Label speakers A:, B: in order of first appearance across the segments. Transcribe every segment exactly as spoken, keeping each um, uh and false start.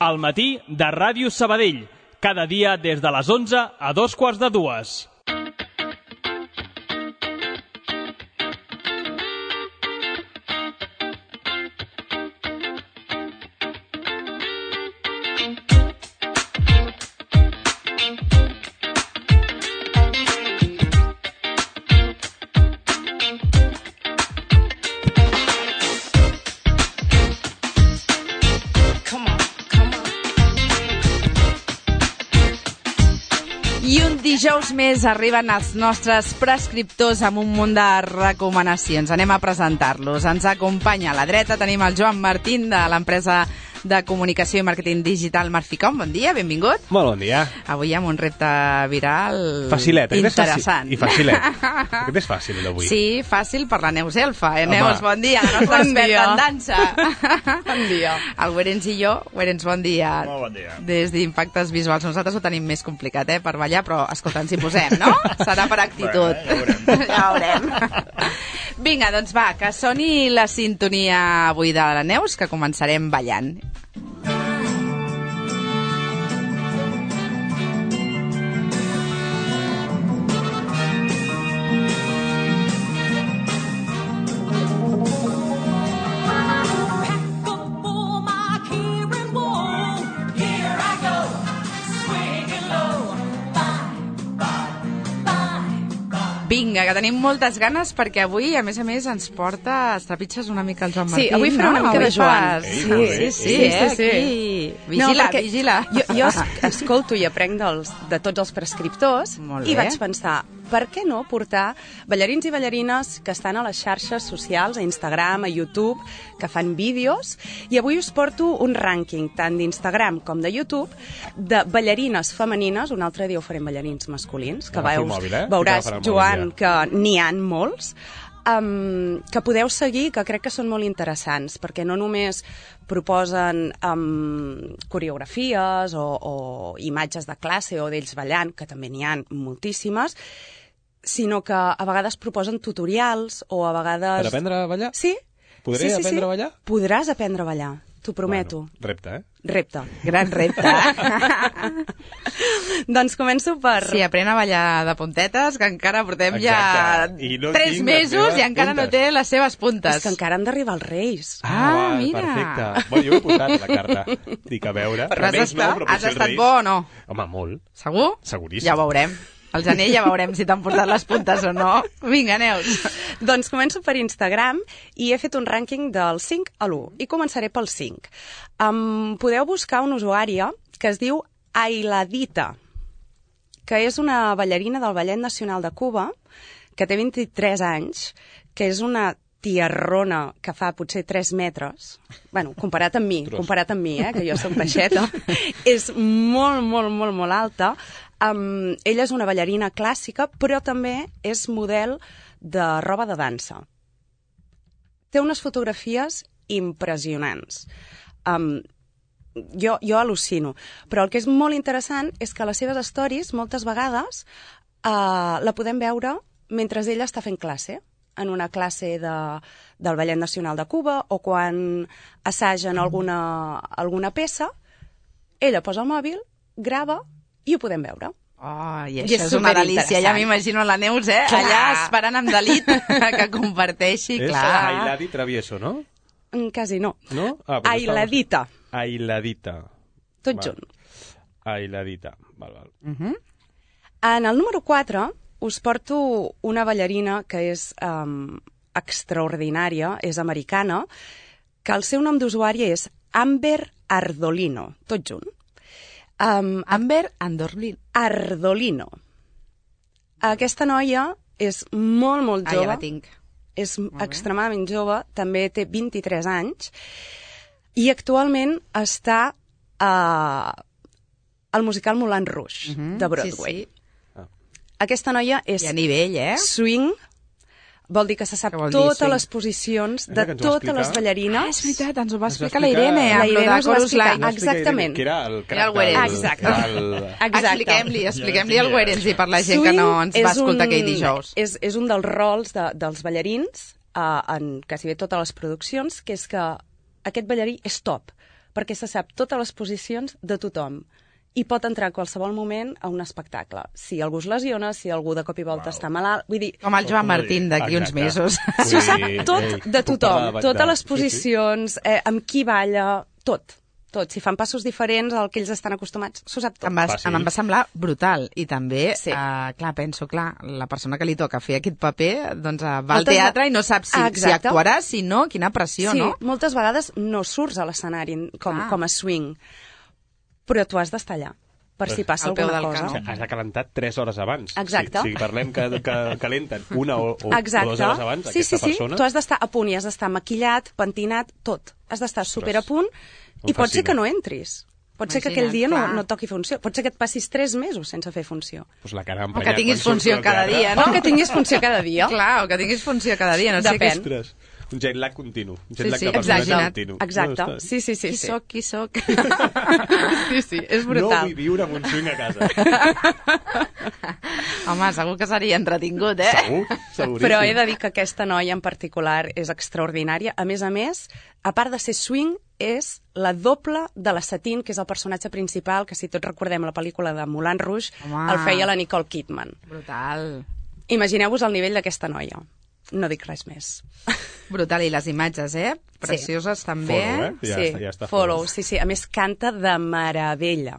A: Al matí de Ràdio Sabadell, cada dia des de les onze a dos quarts de dues.
B: Dijous més arriben els nostres prescriptors amb un munt de recomanacions. Anem a presentar-los. Ens acompanya a la dreta, tenim el Joan Martín de l'empresa de comunicació i màrqueting digital Marficom. Bon dia, benvingut.
C: Molt bon dia.
B: Avui amb un repte viral
C: Facilet,
B: interessant.
C: I facilet. Aquest és fàcil, d'avui.
B: Sí, fàcil per la Neus Elfa. Eh? Neus, bon dia. La nostra experta en dansa.
D: Bon dia.
B: El Werens i jo. Werens, bon dia.
C: Molt bon dia.
B: Des d'Impactes Visuals. Nosaltres ho tenim més complicat, eh, per ballar, però, escolta, ens hi posem, no? Serà per actitud.
C: Bueno,
B: ja ho veurem. Ja ho veurem. Vinga, doncs va, que soni la sintonia avui de la Neus, que començarem ballant. Vinga, que tenim moltes ganes perquè avui, a més a més, ens porta, els trepitges una mica el Joan Martín.
D: Sí, avui farà una mica de Joan.
B: Sí,
C: sí,
B: sí, sí,
D: sí,
B: eh,
D: sí.
B: aquí. Vigila,
D: no,
B: vigila.
D: Jo, jo escolto i aprenc dels, de tots els prescriptors
B: Molt
D: i
B: bé.
D: vaig pensar, per què no portar ballarins i ballarines que estan a les xarxes socials, a Instagram, a YouTube, que fan vídeos, i avui us porto un rànquing tant d'Instagram com de YouTube de ballarines femenines, un altre dia ho farem ballarins masculins, que
C: Agafa el
D: veus,
C: mòbil, eh?
D: veuràs,
C: Agafa el mòbil,
D: Joan,
C: ja.
D: que n'hi ha molts, Um, que podeu seguir, que crec que són molt interessants, perquè no només proposen um, coreografies o, o imatges de classe o d'ells ballant, que també n'hi ha moltíssimes, sinó que a vegades proposen tutorials o a vegades...
C: Per aprendre a ballar?
D: Sí.
C: Podré
D: sí, sí,
C: aprendre
D: sí.
C: a ballar?
D: Podràs aprendre a ballar, t'ho prometo.
C: Bueno, repte, eh?
D: Repte.
B: Gran repte.
D: Doncs començo per...
B: Sí, aprèn a ballar de puntetes, que encara portem
C: Exacte.
B: ja
C: I no
B: tres
C: tinc les
B: mesos
C: meves
B: i encara
C: puntes.
B: no té les seves puntes.
D: És que encara han d'arribar els Reis.
B: Ah,
C: val,
B: mira.
C: Perfecte. Bueno, jo ho he posat a la carta. Dic, a veure.
B: Però has
C: Remeis no,
B: estat,
C: però
B: has
C: potser els
B: estat
C: Reis-
B: bo o no?
C: Home, molt.
B: Segur?
C: Seguríssim.
B: Ja ho veurem. El gener ja veurem si t'han portat les puntes o no. Vinga, Neus.
D: Doncs començo per Instagram i he fet un rànquing del cinc a l'u i començaré pel cinc. Um, podeu buscar una usuària que es diu Ailadita, que és una ballarina del Ballet Nacional de Cuba, que té vint-i-tres anys, que és una tiarrona que fa potser tres metres, bueno, comparat amb mi,
C: Tros.
D: comparat amb mi, eh, que jo soc baixeta, és molt, molt, molt, molt alta. Um, ella és una ballarina clàssica, però també és model de roba de dansa. Té unes fotografies impressionants. Um, jo, jo al·lucino. Però el que és molt interessant és que les seves stories, moltes vegades, uh, la podem veure mentre ella està fent classe, en una classe de, del Ballet Nacional de Cuba, o quan assagen alguna, alguna peça, ella posa el mòbil, grava i ho podem veure.
B: Oh, i
D: I
B: això
D: és
B: és una delícia.
D: superinteressant.
B: Ja m'imagino la Neus, eh?
D: Clar.
B: Allà esperant amb delit que comparteixi,
C: És
B: clar.
C: Ailadi Travieso, no?
D: Mm, Quasi no.
C: No? Ah, pues
D: Ailadita,
C: estamos- Ailadita.
D: tot
C: Val.
D: junt.
C: Ailadita. Val, val.
B: Uh -huh.
D: En el número quatre us porto una ballarina que és um, extraordinària, és americana, que el seu nom d'usuari és Amber Ardolino, tot junt. Um,
B: Amber Andorlin.
D: Ardolino. Aquesta noia és molt, molt
B: Ah,
D: jove.
B: ja la tinc.
D: És
B: bé.
D: extremadament jove, també té vint-i-tres anys, i actualment està uh, al musical Moulin Rouge,
B: Uh -huh.
D: de Broadway.
B: Sí, sí.
D: Aquesta noia és
B: I a nivell, eh?
D: swing, vol dir que se sap
B: Què vol dir,
D: totes
B: swing?
D: les posicions
C: Mira
D: de
C: que ens ho va
D: totes les
C: explicar.
D: ballarines.
B: Ah, és veritat, ens ho va
C: Ens va
B: explicar la
C: explicar-
B: Irene,
C: La
B: amb lo
D: Irene
B: de
D: us va
B: Chorus
D: explicar.
B: Line.
D: Ah, exactament.
C: Que era el
B: Era el
C: crack
B: Werens.
C: del...
D: Exacte.
C: del-
D: Exacte.
B: Expliquem-li, expliquem-li al Werens i per la gent que no ens va escoltar aquell dijous.
D: És, és un dels rols de, dels ballarins uh, en quasi bé totes les produccions, que és que aquest ballarí és top, perquè se sap totes les posicions de tothom i pot entrar a qualsevol moment a un espectacle. Si algú es lesiona, si algú de cop i volta wow. està malalt... Vull dir...
B: Com el Joan Martín d'aquí uns mesos.
D: S'ho sap tot de tothom, totes les posicions, eh, amb qui balla, tot. Tot. Si fan passos diferents al que ells estan acostumats, s'ho sap tot.
B: Em va, em va semblar brutal. I també,
D: sí.
B: uh, clar, penso, clar, la persona que li toca fer aquest paper doncs, uh, va al teatre i no sap si, ah, si actuarà, si no, quina pressió,
D: sí,
B: no?
D: Sí, moltes vegades no surts a l'escenari com, ah. com a swing, però tu has d'estar allà, per si passa alguna cosa.
C: O sigui, has de calentar tres hores abans.
D: Exacte.
C: Si, si parlem que, que calenten una o, o, o dues hores abans,
D: sí,
C: aquesta
D: sí, sí.
C: persona...
D: Tu has d'estar a punt i has d'estar maquillat, pentinat, tot. Has d'estar super a punt i pot ser que no entris. Pot ser que aquell dia no, no toqui funció. Pot ser que et passis tres mesos sense fer funció.
C: Pues la cara
B: o que tinguis funció cada dia, no?
D: O que tinguis funció cada dia.
B: Clar, o que tinguis funció cada dia. No sé
D: Depèn.
B: Que...
C: Un jet lag continu. Un jet
B: sí,
C: lag
B: sí,
C: de personatge
B: exacte.
C: continu.
D: Exacte.
C: No,
D: sí, sí, sí.
B: Qui
D: sí.
B: soc, qui soc? sí, sí, és brutal.
C: No vull viure amb un swing a casa.
B: Home, segur que seria entretingut, eh?
C: Segur, seguríssim.
D: Però he de dir que aquesta noia en particular és extraordinària. A més a més, a part de ser swing, és la doble de la Satine, que és el personatge principal, que si tots recordem la pel·lícula de Moulin Rouge, Home. el feia la Nicole Kidman.
B: Brutal.
D: Imagineu-vos el nivell d'aquesta noia. No dic res més.
B: Brutal, i les imatges, eh? Precioses, sí. també.
C: Follow, eh? Ja,
D: sí,
C: està, ja està
D: follow, sí, sí. A més, canta de meravella.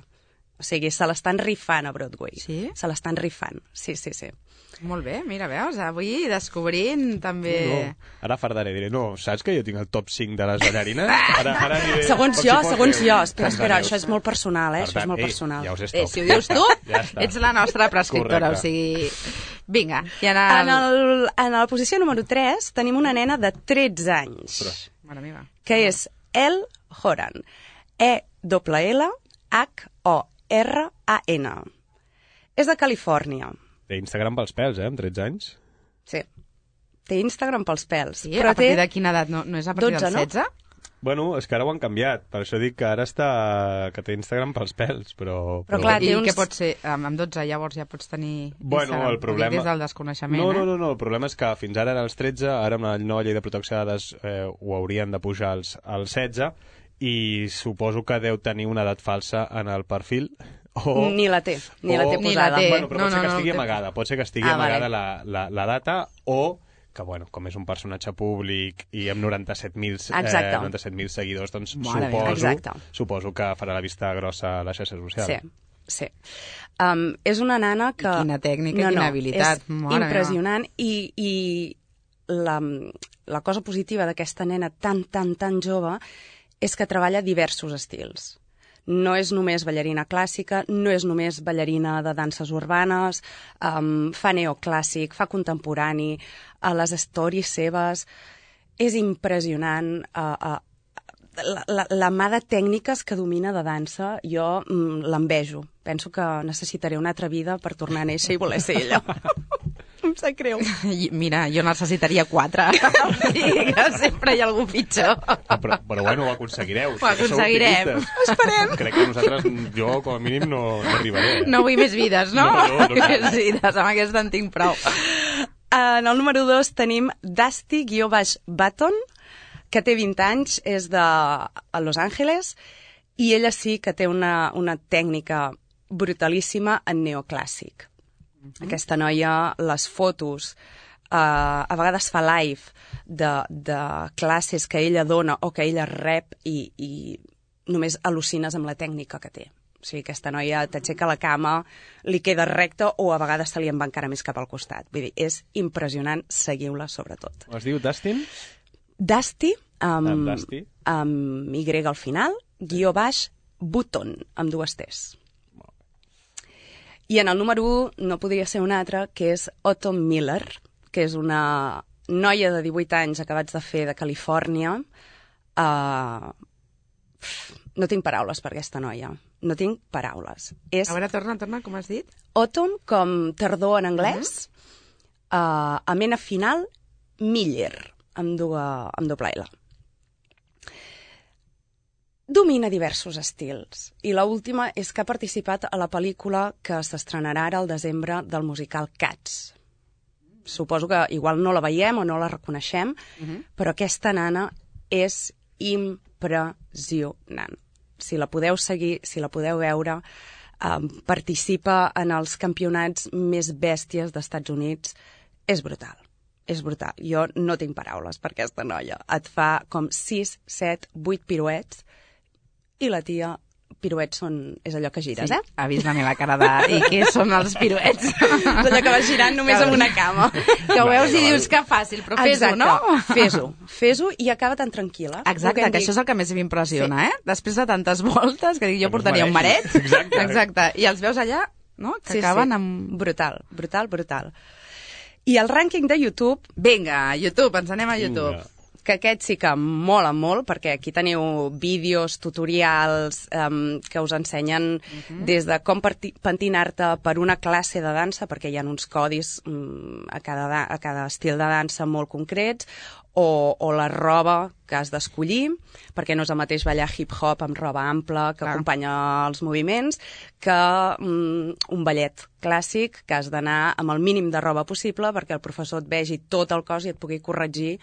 D: O sigui, se l'estan rifant a Broadway.
B: Sí?
D: Se l'estan rifant, sí, sí, sí.
B: Molt bé, mira, veus, avui descobrint també...
C: No, no. Ara fardaré, diré, no, saps que jo tinc el top cinc de les ballarines? Ara, ara diré,
D: segons jo,
C: si
D: segons
C: veure.
D: jo. Espera, espera, això és molt personal, eh? Això és molt personal.
C: Ja us
B: eh, si ho dius tu, ja ets la nostra prescriptora,
C: Correcte.
B: o sigui... Vinga, i en
D: el...
B: el...
D: En, el, en la posició número tres tenim una nena de tretze anys,
B: Mare meva.
D: que és Elle Horan. E L L H O R A N. És de Califòrnia.
C: Té Instagram pels pèls, eh, amb tretze anys.
D: Sí. Té Instagram pels pèls.
B: Sí,
D: però
B: a partir
D: té...
B: de quina edat? No, no és a partir
D: dotze,
B: del setze?
D: no?
C: Bueno, és que ara ho han canviat, per això dic que ara està... que té Instagram pels pèls, però...
D: Però clar,
B: I
D: té uns...
B: què pot ser? Amb dotze llavors ja pots tenir
C: Bueno,
B: Instagram.
C: el problema...
B: Des del desconeixement,
C: no,
B: eh?
C: no, no, no, el problema és que fins ara eren els tretze, ara amb la nova llei de protecció de dades eh, ho haurien de pujar als, als setze, i suposo que deu tenir una edat falsa en el perfil. O,
D: Ni la té, ni
C: o,
D: la té
B: Ni la
D: posada.
B: té.
C: Bueno, però
B: No,
C: pot ser
B: no,
C: que
B: no,
C: estigui
B: té-
C: amagada, pot ser que estigui
D: Ah,
C: amagada
D: vale.
C: la, la, la data, o que, bueno, com és un personatge públic i amb noranta-set mil
D: Exacte.
C: eh, noranta-set mil seguidors, doncs
B: Mare meva.
C: suposo,
D: Exacte.
C: suposo que farà la vista grossa a la xarxa social.
D: Sí, sí. Um, és una nana que...
B: I quina tècnica,
D: no,
B: quina
D: no,
B: habilitat.
D: És
B: Mare
D: impressionant i, i la, la cosa positiva d'aquesta nena tan, tan, tan jove és que treballa diversos estils. No és només ballarina clàssica, no és només ballarina de danses urbanes, um, fa neoclàssic, fa contemporani, a les stories seves... És impressionant uh, uh, la, la, la mà de tècniques que domina de dansa, jo mm, l'envejo. Penso que necessitaré una altra vida per tornar a néixer i voler ser ella. Em sap greu.
B: I, mira, jo necessitaria quatre. Sí, que sempre hi ha algú pitjor.
C: Però, però bueno, ho aconseguireu.
B: Ho aconseguirem.
C: Esperem. Crec que nosaltres, jo com a mínim, no, no arribaré. Eh?
B: No vull més vides, no?
C: No, no, no cal.
B: Més vides, amb aquesta en tinc prou.
D: En el número dos tenim Dusty-Button, que té vint anys, és de Los Angeles, i ella sí que té una, una tècnica brutalíssima en neoclàssic. Mm-hmm. Aquesta noia, les fotos, uh, a vegades fa live de, de classes que ella dona o que ella rep i, i només al·lucines amb la tècnica que té. O sigui, aquesta noia t'aixeca la cama, li queda recta o a vegades se li en va encara més cap al costat. Vull dir, és impressionant, seguiu-la sobretot.
C: Es diu Dustin?
D: Dusty, amb,
C: Amb Dusty.
D: amb Y al final, guió baix, Button, amb dues T's. I en el número un no podria ser un altre, que és Autumn Miller, que és una noia de divuit anys acabats de fer de Califòrnia. Uh, no tinc paraules per aquesta noia. No tinc paraules. És
B: A veure, torna, torna, com has dit?
D: Autumn, com tardor en anglès, uh-huh. uh, amb N final, Miller, amb, duga, amb doble L. Domina diversos estils. I l'última és que ha participat a la pel·lícula que s'estrenarà ara al desembre del musical Cats. Suposo que igual no la veiem o no la reconeixem, uh-huh. però aquesta nana és impressionant. si la podeu seguir, si la podeu veure, eh, participa en els campionats més bèsties d'Estats Units. És brutal, és brutal. Jo no tinc paraules per aquesta noia. Et fa com sis, set, vuit piruets i la tia... piruets són... és allò que gires,
B: sí,
D: eh?
B: ha vist venir la cara de... I què són els piruets?
D: És allò que vas girant només amb una cama.
B: Que ho veus i dius que fàcil, però fes-ho, no?
D: Fes-ho, fes-ho i acaba tan tranquil·la.
B: Exacte, que, que això és el que més m'impressiona, sí. eh? Després de tantes voltes, que dic, jo portaria un maret.
C: Exacte.
B: Exacte. I els veus allà, no? Que
D: sí,
B: acaben
D: sí.
B: amb...
D: Brutal, brutal, brutal. I el rànquing de YouTube...
B: Vinga, YouTube, ens anem a YouTube.
C: Vinga.
D: Que aquest sí que mola molt, perquè aquí teniu vídeos, tutorials um, que us ensenyen uh-huh. des de com pentinar-te per una classe de dansa, perquè hi ha uns codis um, a, cada, a cada estil de dansa molt concrets, o, o la roba que has d'escollir, perquè no és el mateix ballar hip-hop amb roba ampla que Clar. acompanya els moviments, que um, un ballet clàssic que has d'anar amb el mínim de roba possible perquè el professor et vegi tot el cos i et pugui corregir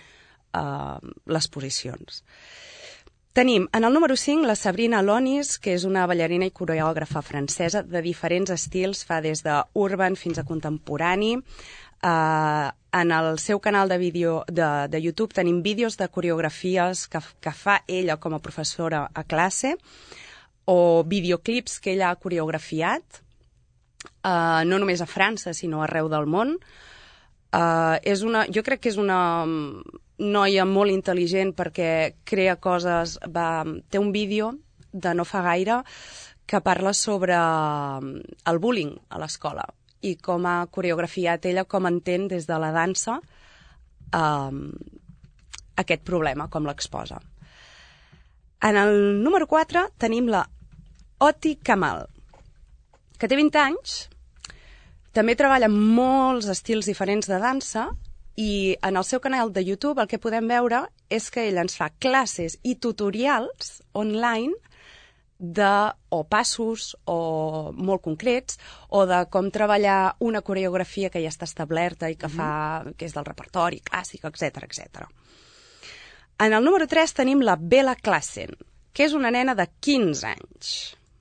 D: Uh, les posicions. Tenim en el número cinc la Sabrina Lonis, que és una ballarina i coreògrafa francesa de diferents estils, fa des d'urban fins a contemporani. Uh, en el seu canal de vídeo de, de YouTube tenim vídeos de coreografies que, que fa ella com a professora a classe, o videoclips que ella ha coreografiat, uh, no només a França, sinó arreu del món. Uh, és una, jo crec que és una noia molt intel·ligent perquè crea coses, va, té un vídeo de no fa gaire que parla sobre el bullying a l'escola i com ha coreografiat ella, com entén des de la dansa um, aquest problema, com l'exposa. En el número quatre tenim la Oti Kamal, que té vint anys, també treballa molts estils diferents de dansa i en el seu canal de YouTube el que podem veure és que ella ens fa classes i tutorials online de o passos o molt concrets o de com treballar una coreografia que ja està establerta i que, fa, que és del repertori clàssic, etcètera, etcètera. En el número tres tenim la Bella Klassen, que és una nena de quinze anys.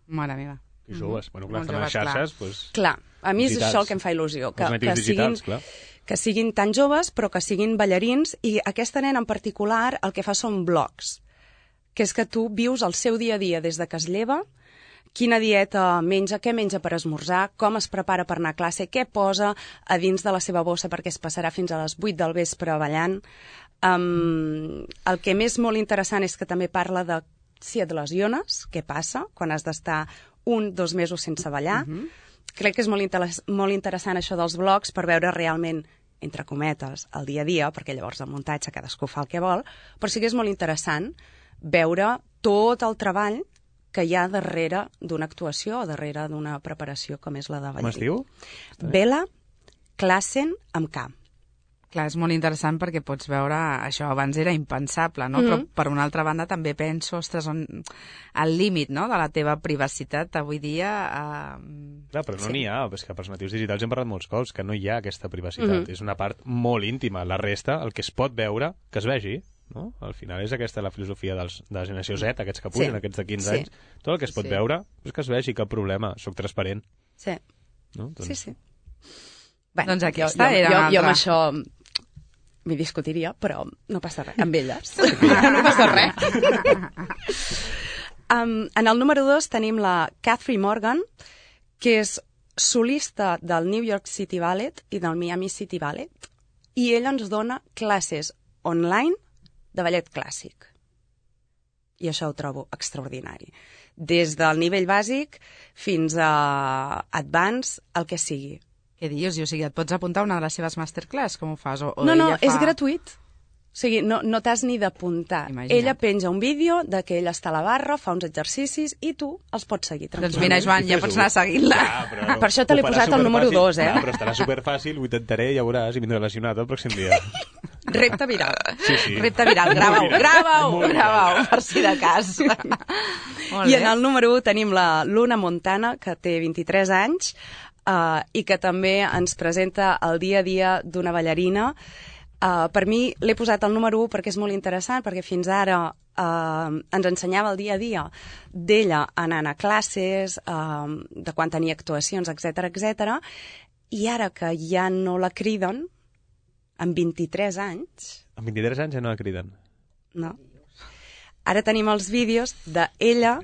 B: Mare meva.
C: I joves. Bueno, clar,
B: Molt
C: estan a les
B: joves,
C: xarxes,
B: clar.
C: doncs...
D: Clar, a mi és
C: digitals.
D: això el que em fa il·lusió. Que,
C: Els natius
D: que
C: digitals,
D: siguin,
C: clar.
D: que siguin tan joves, però que siguin ballarins, i aquesta nena en particular el que fa són blogs, que és que tu vius el seu dia a dia des de que es lleva, quina dieta menja, què menja per esmorzar, com es prepara per anar a classe, què posa a dins de la seva bossa perquè es passarà fins a les vuit del vespre ballant. Um, el que més molt interessant és que també parla de si et lesiones, què passa quan has d'estar un, dos mesos sense ballar. Uh-huh. Crec que és molt, inter- molt interessant això dels blogs per veure realment, entre cometes, el dia a dia, perquè llavors el muntatge cadascú fa el que vol, però sí que és molt interessant veure tot el treball que hi ha darrere d'una actuació o darrere d'una preparació com és la de ballarí.
C: Com es diu?
D: Bella Klassen amb K.
B: Clar, és molt interessant perquè pots veure, això abans era impensable, no? Mm-hmm. Però per una altra banda també penso, ostres, on, el límit, no?, de la teva privacitat avui dia... Eh...
C: Clar, però no
D: Sí.
C: n'hi ha, és que pels natius digitals hem parlat molts cops, que no hi ha aquesta privacitat.
D: Mm-hmm.
C: És una part molt íntima. La resta, el que es pot veure, que es vegi, no? Al final és aquesta la filosofia dels, de la generació Z, aquests que pugen,
D: Sí.
C: aquests de quinze
D: Sí.
C: anys. Tot el que es pot
B: Sí.
C: veure és que es vegi, cap problema, soc transparent.
D: Sí,
C: No? Doncs...
D: sí, sí. Bé,
B: Doncs
D: jo,
B: aquesta
D: jo,
B: era
D: jo,
B: una
D: jo amb
B: altra.
D: això m'hi discutiria, però no passa res. Amb elles no passa res. um, en el número dos tenim la Catherine Morgan, que és solista del New York City Ballet i del Miami City Ballet, i ella ens dona classes online de ballet clàssic. I això ho trobo extraordinari. Des del nivell bàsic fins a advanced, el que sigui.
B: Què dius? O sigui, et pots apuntar a una de les seves masterclass? Com ho fas? O, o
D: No, no,
B: ella fa...
D: és gratuït. O sigui, no, no t'has ni d'apuntar.
B: Imagina't.
D: Ella penja un vídeo de que ella està a la barra, fa uns exercicis i tu els pots seguir
B: Doncs
D: tranquil·lament.
B: mira, Joan, ja pots anar seguint-la.
C: Clar, però
D: Per això te l'he
C: ho farà
D: posat al número
C: superfàcil.
D: dos, eh?
C: Clar, però estarà superfàcil, ho intentaré, ja veuràs, i vindré lesionat el pròxim dia.
D: Repte viral.
C: Sí, sí.
B: Repte viral, grava-ho,
C: Molt viral.
B: grava-ho,
C: Molt viral.
B: grava-ho, per si de cas. Molt
D: I
B: bé.
D: en el número un tenim la Luna Montana, que té vint-i-tres anys, uh, i que també ens presenta el dia a dia d'una ballarina. Uh, per mi l'he posat al número un perquè és molt interessant, perquè fins ara Uh, ens ensenyava el dia a dia d'ella anant a classes, uh, de quan tenia actuacions, etcètera, etcètera. I ara que ja no la criden, amb vint-i-tres anys...
C: Amb vint-i-tres anys ja no la criden?
D: No. Ara tenim els vídeos d'ella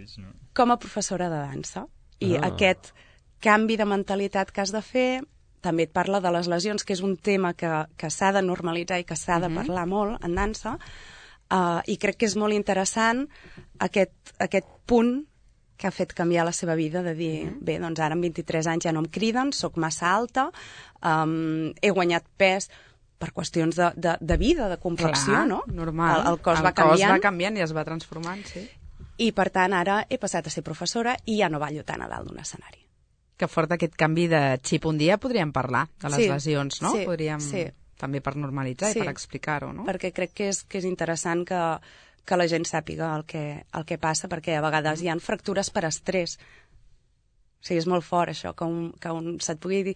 D: com a professora de dansa. I
C: Ah.
D: aquest canvi de mentalitat que has de fer... També et parla de les lesions, que és un tema que, que s'ha de normalitzar i que s'ha de parlar molt en dansa. Uh, I crec que és molt interessant aquest, aquest punt que ha fet canviar la seva vida, de dir, bé, doncs ara amb vint-i-tres anys ja no em criden, sóc massa alta, um, he guanyat pes per qüestions de, de, de vida, de complexió,
B: Clar,
D: no?
B: normal.
D: El, el cos
B: el
D: va canviant.
B: cos va canviant i es va transformant, sí.
D: I, per tant, ara he passat a ser professora i ja no ballo tant a dalt d'un escenari.
B: Que fort aquest canvi de xip. Un dia podríem parlar de les
D: Sí,
B: lesions, no?
D: sí,
B: podríem,
D: sí.
B: també per normalitzar
D: Sí.
B: i per explicar-ho, no?
D: Perquè crec que és, que és interessant que, que la gent sàpiga el que, el que passa, perquè a vegades hi ha fractures per estrès. O sigui, és molt fort això, que, un, que un, se't pugui dir,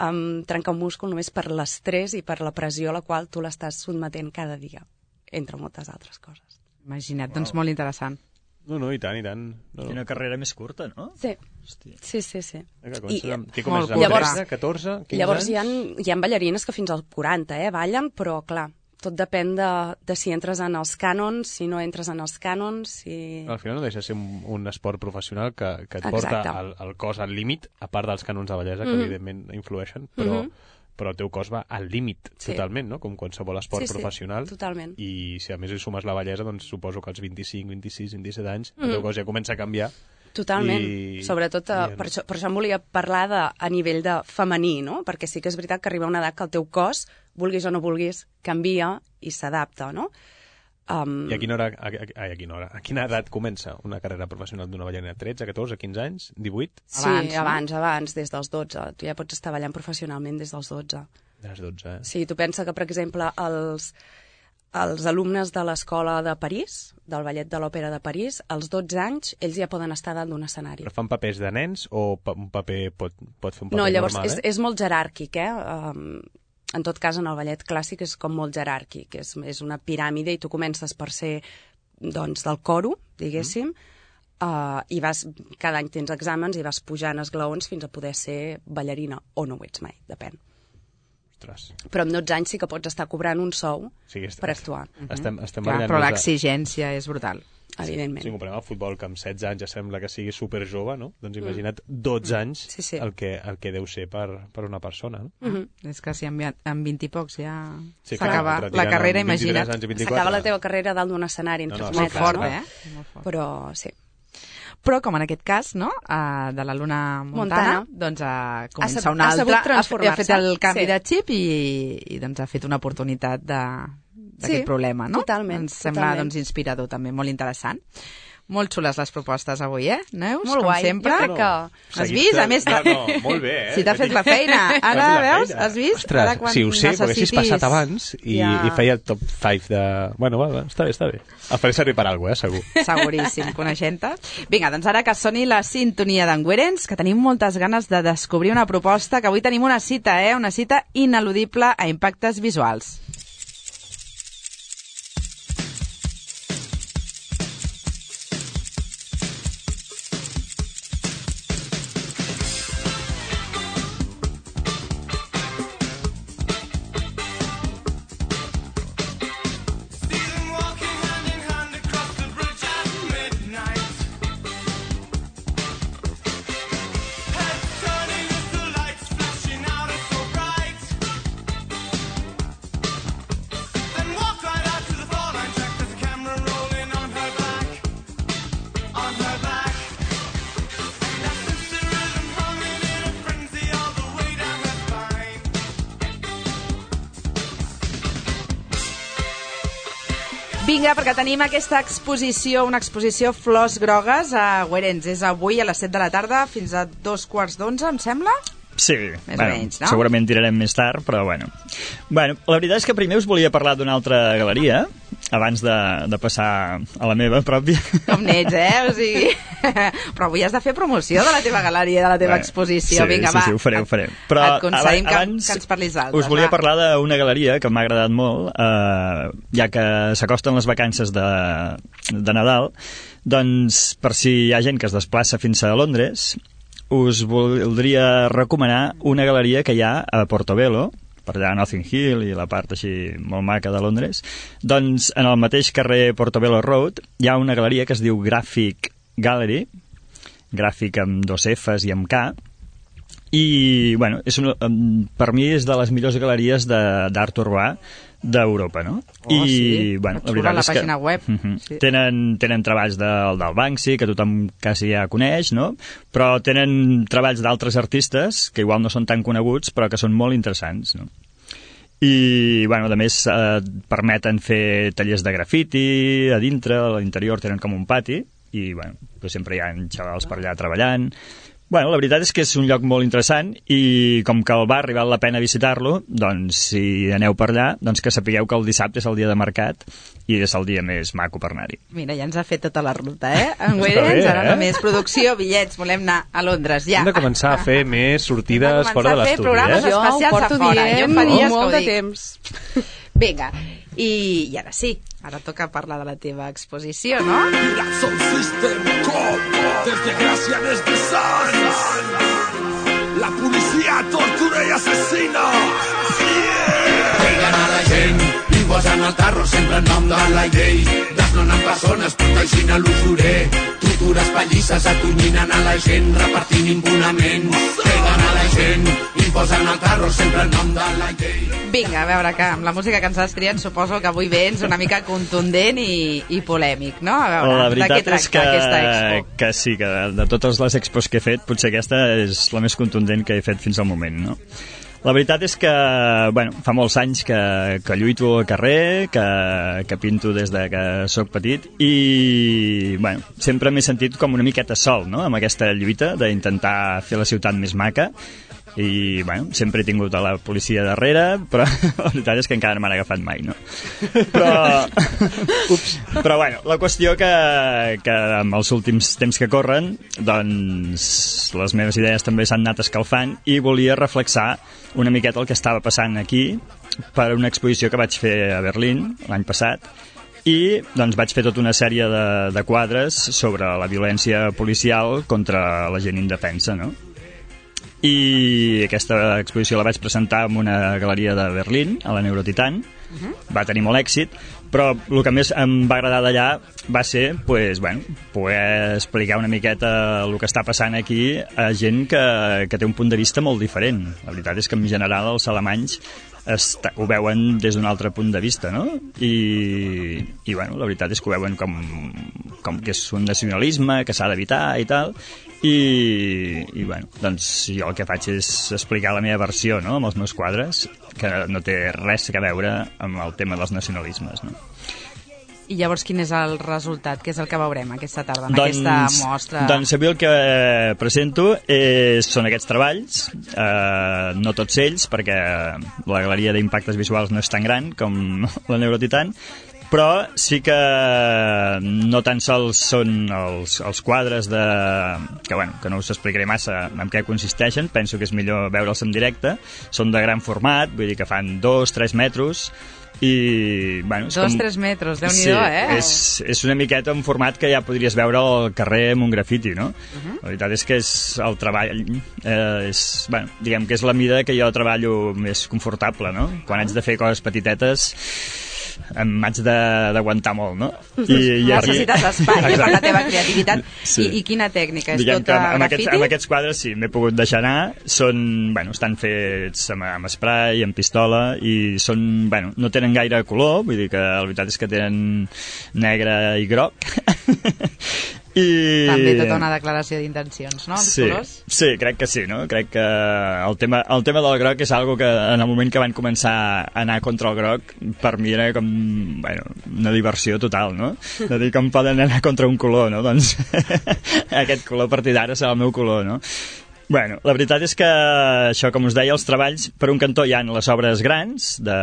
D: um, trencar un múscul només per l'estrès i per la pressió a la qual tu l'estàs sotmetent cada dia, entre moltes altres coses.
B: Imagina't, wow. Doncs molt interessant.
C: No, no, i tant, i tant. No, no.
E: Quina carrera més curta, no?
D: Sí,
E: Hòstia.
D: sí, sí. sí.
C: Eh, que comences
D: I-
C: amb... Qui comences
B: molt
C: amb
D: Llavors-
C: tretze, catorze, quinze
D: Llavors hi ha,
C: anys?
D: hi ha ballarines que fins als quaranta eh, ballen, però clar, tot depèn de, de si entres en els cànons, si no entres en els cànons, si...
C: Al final no deixa de ser un, un esport professional que, que et porta
D: Exacte.
C: el, el cos al límit, a part dels cànons de bellesa, que
D: Mhm.
C: evidentment influeixen, però,
D: Mhm.
C: però el teu cos va al límit
D: Sí.
C: totalment, no? Com qualsevol esport
D: Sí, sí,
C: professional.
D: totalment.
C: I si a més hi sumes la bellesa, doncs suposo que als vint-i-cinc, vint-i-sis, vint-i-set anys el
D: Mhm.
C: teu cos ja comença a canviar.
D: Totalment.
C: I-
D: Sobretot, eh,
C: i-
D: per, això, per això em volia parlar de, a nivell de femení, no? Perquè sí que és veritat que arriba una edat que el teu cos, vulguis o no vulguis, canvia i s'adapta, no? Um,
C: I a quina hora, a, a, ai, a quina hora, a quina edat comença una carrera professional d'una ballarina? tretze, catorze, quinze anys, divuit?
D: Sí,
B: Abans, no?
D: abans, abans, des dels dotze. Tu ja pots estar ballant professionalment des dels dotze.
C: De les dotze, eh?
D: Sí, tu pensa que, per exemple, els, els alumnes de l'escola de París, del Ballet de l'Òpera de París, als dotze anys, ells ja poden estar dalt d'un escenari.
C: Però fan papers de nens o pa un paper pot, pot fer un paper
D: No, llavors
C: normal,
D: és,
C: eh?
D: és molt jeràrquic, eh? Um, en tot cas, en el ballet clàssic és com molt jeràrquic, és, és una piràmide i tu comences per ser, doncs, del coro, diguéssim, mm. uh, i vas, cada any tens exàmens i vas pujant esglaons fins a poder ser ballarina, o no ho ets mai, depèn.
C: Ostres.
D: Però amb dotze anys sí que pots estar cobrant un sou
C: Sí que est-
D: per actuar,
C: Estem, estem
B: Clar,
C: ballant
B: però
C: des de-
B: l'exigència és brutal.
D: evidentment.
C: Si comparem el futbol, que amb setze anys ja sembla que sigui superjove, no? Doncs imagina't dotze anys
D: Sí, sí.
C: El, que, el que deu ser per, per una persona, no?
D: Mhm.
B: És que si amb, amb vint i pocs ja
C: Sí, clar,
B: s'acaba
C: et
B: la
C: retiren
B: carrera,
C: amb vint-i-tres
B: imagina't.
C: anys i vint-i-quatre.
D: S'acaba la teva carrera dalt d'un escenari entre
C: No, no,
D: els
C: sí,
B: Molt
D: metres,
B: fort,
D: no?
B: eh? Molt fort.
D: Però sí.
B: Però, com en aquest cas, no?, uh, de la Luna Montana,
D: Montana.
B: doncs uh, comença
D: sab-
B: una
D: ha
B: altra,
D: sabut
B: ha, f- ha
D: transformar-se.
B: fet el canvi
D: Sí.
B: de xip i, i doncs ha fet una oportunitat de- d'aquest
D: Sí,
B: problema, no?
D: totalment,
B: Ens sembla
D: totalment.
B: doncs, inspirador també, molt interessant. Molt xules les propostes avui, eh, Neus?
D: Molt
B: com
D: guai.
B: sempre.
D: Jo crec que-
B: Has
C: Seguit
B: vist?
C: de-
B: A més,
C: no, no, molt bé, eh?
B: si t'ha fet la feina. Ara,
C: M'ha fet la
B: veus?
C: feina.
B: Has vist?
C: Ostres,
B: Ara, quan
C: si ho sé, perquè haguessis
B: necessitis-
C: passat abans i,
B: Ja.
C: i feia el top cinc de... Bueno, va, va, està bé, està bé. El faré servir per alguna cosa, eh, segur.
B: Seguríssim, coneixent-te. Vinga, doncs ara que soni la sintonia d'en Guerens, que tenim moltes ganes de descobrir una proposta, que avui tenim una cita, eh? Una cita ineludible a impactes visuals. Vinga, perquè tenim aquesta exposició, una exposició Flors Grogues a Guerens. És avui a les set de la tarda fins a dos quarts d'onze, em sembla?
E: Sí,
B: més
E: bueno,
B: o menys, no?
E: segurament tirarem més tard, però bueno. Bueno, la veritat és que primer us volia parlar d'una altra galeria, abans de, de passar a la meva pròpia.
B: Com n'ets, eh? O sigui... Però avui has de fer promoció de la teva galeria, de la teva
E: Bé,
B: exposició.
E: sí,
B: Vinga,
E: sí,
B: va.
E: sí, ho faré, ho faré. Però
B: et concedim que,
E: abans
B: que ens parlis d'altres.
E: us volia
B: va.
E: parlar d'una galeria que m'ha agradat molt, eh, ja que s'acosten les vacances de, de Nadal, doncs per si hi ha gent que es desplaça fins a Londres, us voldria recomanar una galeria que hi ha a Portobello, per allà a Notting Hill i la part així molt maca de Londres. Doncs en el mateix carrer Portobello Road hi ha una galeria que es diu Graphic Gallery, gràfic amb dos Fs i amb K, i bueno, és una, per mi és de les millors galeries d'art urbà d'Europa, no?
B: Oh,
E: I,
B: sí.
E: bueno,
B: la veritat
E: la
B: és que... pàgina web.
E: Uh-huh.
B: Sí.
E: Tenen, tenen treballs del, del Banksy, que tothom quasi ja coneix, no? Però tenen treballs d'altres artistes, que igual no són tan coneguts, però que són molt interessants, no? I, bueno, a més, eh, permeten fer tallers de grafiti a dintre, a l'interior tenen com un pati, i, bueno, pues sempre hi ha xavals per allà treballant. Bueno, la veritat és que és un lloc molt interessant i com que el barri val la pena visitar-lo, doncs si aneu per allà, doncs que sapigueu que el dissabte és el dia de mercat i és el dia més maco per anar-hi.
B: Mira, ja ens ha fet tota la ruta, eh? En Guerens, ara
E: eh?
B: només producció, bitllets, volem anar a Londres, ja.
C: Hem de començar a fer més sortides fora de l'estudi, eh?
B: programes
D: Jo ho
B: especials
D: porto
B: a fora. Jo
D: dient
B: fa dies que ho
D: molt de
B: dic.
D: temps.
B: Vinga, i, i ara sí, ara toca parlar de la teva exposició, no?
F: Mira, Sound System, com, desgràcia des de Sants. La policia tortura i assassina. Yeah! Peguen a la gent i posen el tarro sempre en nom de la llei. Desnonen persones protegint a l'usurer. Tortures pallisses atonyinen a la gent repartint impunament. Peguen a la gent i posen el tarro sempre en nom de la llei.
B: Vinga, a veure, que amb la música que ens has triat suposo que avui vens una mica contundent i, i polèmic, no? A veure,
E: la
B: de què
E: veritat
B: tracta
E: és que,
B: aquesta expo?
E: que sí, que de totes les expos que he fet, potser aquesta és la més contundent que he fet fins al moment, no? La veritat és que, bueno, fa molts anys que, que lluito al carrer, que, que pinto des de que sóc petit i, bueno, sempre m'he sentit com una miqueta sol, no?, amb aquesta lluita d'intentar fer la ciutat més maca i, bueno, sempre he tingut a la policia darrere, però la veritat és que encara no m'han agafat mai, no? Però, ups, però bueno, la qüestió que, que amb els últims temps que corren, doncs les meves idees també s'han anat escalfant i volia reflexar una miqueta el que estava passant aquí per una exposició que vaig fer a Berlín l'any passat i doncs vaig fer tota una sèrie de, de quadres sobre la violència policial contra la gent indefensa, no? I aquesta exposició la vaig presentar en una galeria de Berlín, a la Neurotitan. Uh-huh. Va tenir molt èxit, però el que més em va agradar d'allà va ser pues, bueno, poder explicar una miqueta el que està passant aquí a gent que, que té un punt de vista molt diferent. La veritat és que en general els alemanys està, ho veuen des d'un altre punt de vista, no? I, i bueno, la veritat és que ho veuen com, com que és un nacionalisme que s'ha d'evitar i tal. I, i bueno, doncs jo el que faig és explicar la meva versió, no?, amb els meus quadres, que no té res a veure amb el tema dels nacionalismes, no?
B: I llavors quin és el resultat? Què és el que veurem aquesta tarda, en
E: doncs,
B: aquesta mostra?
E: Doncs avui el que presento és, són aquests treballs, eh, no tots ells, perquè la galeria d'impactes visuals no és tan gran com la Neurotitan, però sí que no tan sols són els, els quadres de... que, bueno, que no us explicaré massa en què consisteixen, penso que és millor veure'ls en directe, són de gran format, vull dir que fan dos, tres metres, i, bueno, és
B: dos,
E: com...
B: tres metres, Déu-n'hi-do,
E: sí,
B: eh?
E: és, és una miqueta un format que ja podries veure al carrer amb un grafiti, no? Uh-huh. La veritat és que és el treball, eh, és, bueno, diguem que és la mida que jo treballo més confortable, no? Quan haig de fer coses petitetes m'haig d'aguantar molt, no?
B: I, i necessites aquí... espai per la teva creativitat.
E: Sí.
B: I, I quina tècnica? És
E: Diguem
B: tota
E: amb, amb
B: grafiti?
E: Aquests, amb aquests quadres sí, m'he pogut deixar anar. Són, bueno, estan fets amb, amb spray, amb pistola, i són, bueno, no tenen gaire color, vull dir que la veritat és que tenen negre i groc. I...
B: També tota una declaració d'intencions, no? Els
E: sí,
B: colors?
E: sí, crec que sí, no? Crec que el tema, el tema del groc és algo que en el moment que van començar a anar contra el groc, per mi era com, bueno, una diversió total, no? De dir com poden anar contra un color, no? Doncs aquest color a partir d'ara serà el meu color, no? Bueno, la veritat és que això, com us deia, els treballs, per un cantó hi ha les obres grans, de,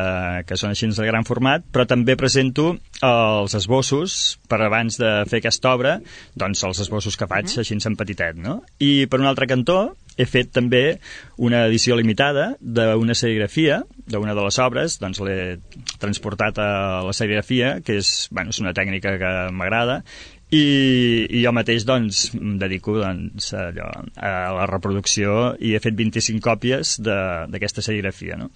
E: que són així de gran format, però també presento els esbossos, per abans de fer aquesta obra, doncs els esbossos que faig així en petitet, no? I per un altre cantó he fet també una edició limitada d'una serigrafia, d'una de les obres, doncs l'he transportat a la serigrafia, que és, bueno, és una tècnica que m'agrada, I, i jo mateix doncs em dedico doncs, a, allò, a la reproducció i he fet vint-i-cinc còpies d'aquesta serigrafia, no?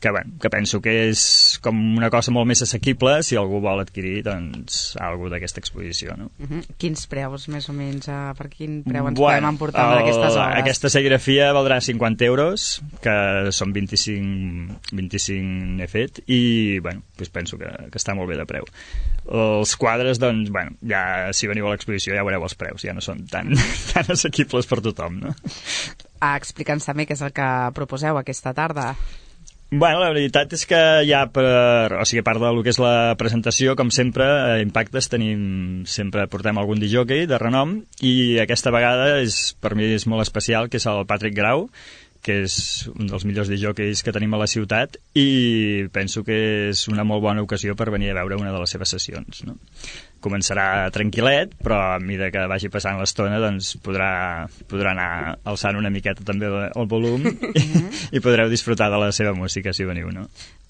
E: que, bueno, que penso que és com una cosa molt més assequible si algú vol adquirir doncs, alguna d'aquesta exposició, no?
B: Uh-huh. Quins preus més o menys, uh, per quin preu ens
E: bueno,
B: podem emportar amb aquestes obres?
E: Aquesta serigrafia valdrà cinquanta euros, que són vint-i-cinc, vint-i-cinc n'he fet i bueno, doncs penso que, que està molt bé de preu. Els quadres, doncs, bueno, ja si veniu a l'exposició ja veureu els preus, ja no són tan, tan assequibles per tothom, no?
B: Ah, explica'ns també què és el que proposeu aquesta tarda.
E: Bueno, la veritat és que ja per, o sigui, a part del que és la presentació, com sempre, a Impactes tenim, sempre portem algun disjockey de renom i aquesta vegada és, per mi és molt especial, que és el Patrick Grau, que és un dels millors disjockeys que tenim a la ciutat i penso que és una molt bona ocasió per venir a veure una de les seves sessions, no? Començarà tranquil·let, però a mesura que vagi passant l'estona doncs podrà, podrà anar alçant una miqueta també el volum i, i podreu disfrutar de la seva música si veniu, no?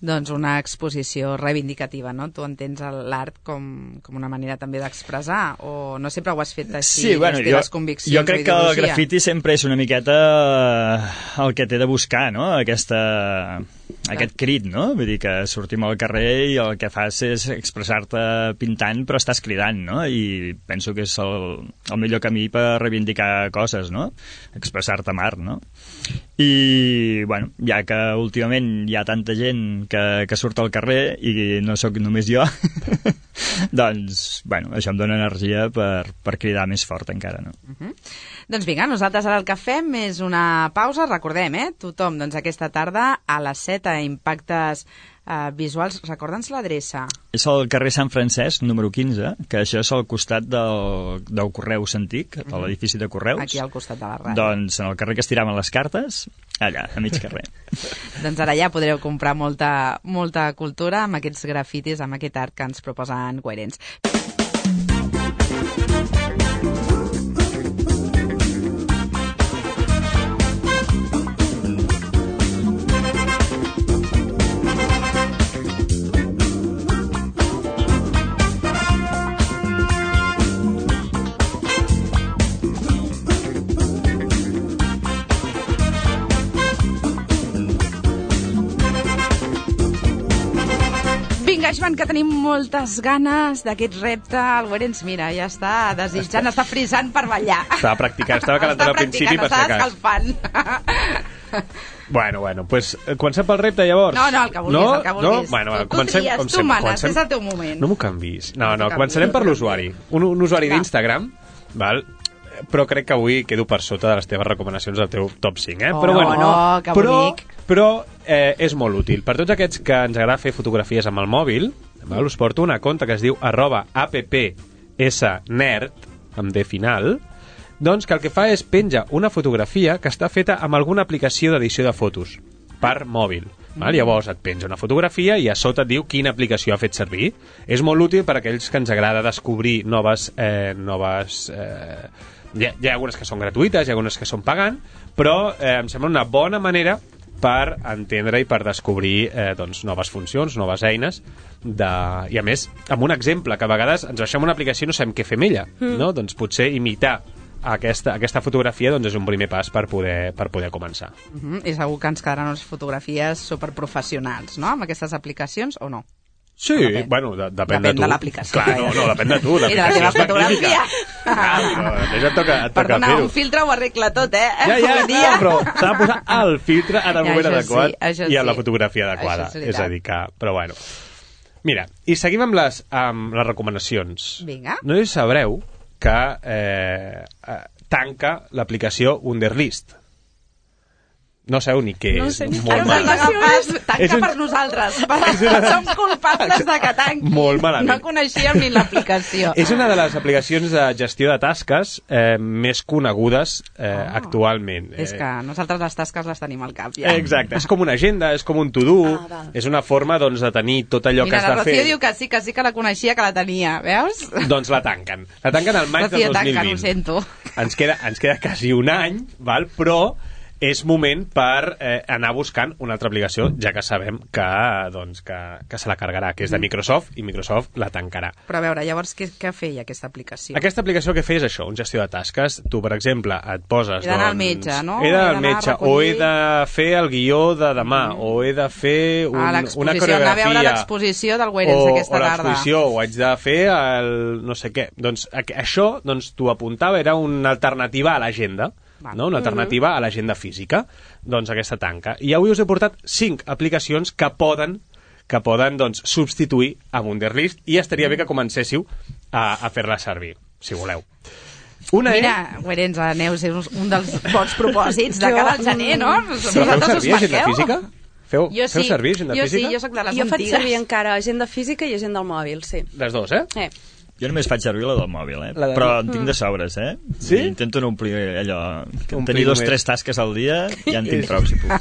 B: Doncs una exposició reivindicativa, no? Tu entens l'art com, com una manera també d'expressar o no sempre ho has fet així,
E: sí, bueno,
B: les teves
E: jo,
B: conviccions
E: jo crec
B: o
E: que
B: ideologia?
E: el grafiti sempre és una miqueta el que té de buscar, no? Aquesta, aquest crit, no? Vull dir que sortim al carrer i el que fas és expressar-te pintant però estàs cridant, no? I penso que és el, el millor camí per reivindicar coses, no? Expressar-te amb art, no? I, bueno, ja que últimament hi ha tanta gent que, que surt al carrer i no sóc només jo, doncs, bueno, això em dona energia per, per cridar més fort encara, no?
B: Uh-huh. Doncs vinga, nosaltres ara el que fem és una pausa, recordem, eh? Tothom, doncs aquesta tarda a les set a Impactes uh, Visuals. Recorda'ns l'adreça.
E: És al carrer Sant Francesc, número quinze, que això és al costat del, del Correus Antic, de l'edifici de Correus.
B: Aquí al costat de la ràdio.
E: Doncs en el carrer que es tiraven les cartes, allà, a mig carrer.
B: Doncs ara ja podreu comprar molta, molta cultura amb aquests grafitis, amb aquest art que ens proposen Coherents. Joan, que tenim moltes ganes d'aquest repte. El Guerens, mira, ja està desitjant, està frisant per ballar.
C: Estava practicant, estava calentant al principi per si
B: acas.
C: acas.
B: Escalfant.
C: Bueno, bueno, pues comencem pel repte llavors.
B: No, no, el que vulguis,
C: no?
B: el que vulguis.
C: No? Bueno,
B: tu,
C: comencem,
B: tu tries,
C: com
B: tu
C: sempre,
B: manes,
C: comencem...
B: és el teu moment.
C: No m'ho canvis. No,
B: No
C: no,
B: t'ho
C: començarem
B: canvis,
C: per
B: no
C: l'usuari. Un, un usuari
B: Va.
C: d'Instagram, val? Però crec que avui quedo per sota de les teves recomanacions del teu top cinc, eh?
B: Oh,
C: però, bueno,
B: no, que
C: però,
B: bonic.
C: però eh, és molt útil. Per tots aquests que ens agrada fer fotografies amb el mòbil, val? Us porto una conta que es diu arroba appsnerd, amb D final, doncs que el que fa és penja una fotografia que està feta amb alguna aplicació d'edició de fotos per mòbil. Val? Mm. Llavors et penja una fotografia i a sota et diu quina aplicació ha fet servir. És molt útil per a aquells que ens agrada descobrir noves... Eh, noves eh, hi, ha, hi ha algunes que són gratuïtes, hi ha algunes que són pagant, però eh, em sembla una bona manera per entendre i per descobrir eh, doncs, noves funcions, noves eines de... i a més, amb un exemple que a vegades ens baixem una aplicació i no sabem què fer amb ella, mm. no? Doncs potser imitar aquesta, aquesta fotografia doncs és un primer pas per poder, per poder començar.
B: Uh -huh. I segur que ens quedaran unes fotografies superprofessionals, no?, amb aquestes aplicacions, o no?
C: Sí,
B: depèn.
C: bueno, de, depèn,
B: Depèn
C: de tu.
B: de l'aplicació.
C: Clar, no, no, depèn de tu.
B: I de la teva fotografia.
C: Ah, no, et toca, et toca
B: Perdona,
C: fer-ho.
B: un filtre ho arregla tot, eh?
C: Ja, ja,
B: Avui dia.
C: ja, però s'ha de posar el filtre en el
B: Ja,
C: moment
B: això
C: adequat
B: sí, això
C: i en la
B: sí.
C: fotografia adequada.
B: Això és
C: És,
B: veritat.
C: a dir que... Però bueno. Mira, i seguim amb les, amb les recomanacions.
B: Vinga.
C: No sé si sabreu que eh, eh, tanca l'aplicació Wunderlist. No sabeu ni què
D: No
C: és.
D: sé ni
C: Molt
D: què
C: malament.
B: Tanca, tanca
C: És un-
B: per nosaltres. Som culpables de que tanqui.
C: Molt malament.
B: No coneixíem ni l'aplicació.
C: És una de les aplicacions de gestió de tasques eh, més conegudes eh,
B: Ah.
C: actualment.
B: És
C: Eh,
B: que nosaltres les tasques les tenim al cap, ja.
C: Exacte, és com una agenda, és com un to-do,
D: Ah, val.
C: és una forma doncs, de tenir tot allò
B: Mira,
C: que has
B: la
C: de
B: Rocío
C: fer.
B: diu que sí, que sí que la coneixia, que la tenia, veus?
C: Doncs la tanquen. La tanquen al maig
B: Rocío,
C: del dos mil
B: tanca,
C: vint.
B: ho sento.
C: Ens queda, ens queda quasi un any, val? Però és moment per eh, anar buscant una altra aplicació, ja que sabem que, doncs, que, que se la cargarà, que és de Microsoft, i Microsoft la tancarà.
B: Però a veure, llavors, què, què feia aquesta aplicació?
C: Aquesta aplicació que feia és això, un gestió de tasques. Tu, per exemple, et poses...
B: He d'anar al
C: doncs,
B: metge, no?
C: He
B: He
C: d'anar al
B: d'anar a
C: metge, o
B: recollir-
C: he de fer el guió de demà, mm. o he de fer un,
B: Ah,
C: una
B: l'exposició,
C: coreografia.
B: anar a veure l'exposició del Wérens
C: o,
B: aquesta
C: o
B: tarda.
C: l'exposició, o haig de fer el no sé què. Doncs a- això, doncs, t'ho apuntava, era una alternativa a l'agenda,
B: Val.
C: no? Una alternativa a l'agenda física. Doncs aquesta tanca. I avui us he portat cinc aplicacions que poden que poden doncs, substituir a Wunderlist, i estaria bé que comencéssiu a, a fer-la servir, si voleu. Una
B: Mira, Wérens, a Neus, és un dels bons propòsits de
D: Jo,
B: cara al gener, no?
C: és... Però feu
B: Vosaltres us
C: servir agenda
B: marqueu?
C: física? Feu,
B: Jo
C: feu
B: sí,
C: servir agenda
B: jo
C: física?
B: sí, jo sóc de les
D: Jo faig
B: antigues.
D: servir encara agenda física i agenda al mòbil, sí.
C: Les dues, eh?
D: Eh.
E: Jo només faig servir la del mòbil, eh?
C: La de-
E: Però en tinc de sobres, eh?
C: Sí?
E: I intento no omplir allò...
C: Omplir
E: Tenir dos,
C: només.
E: tres tasques al dia ja en tinc prou, si puc.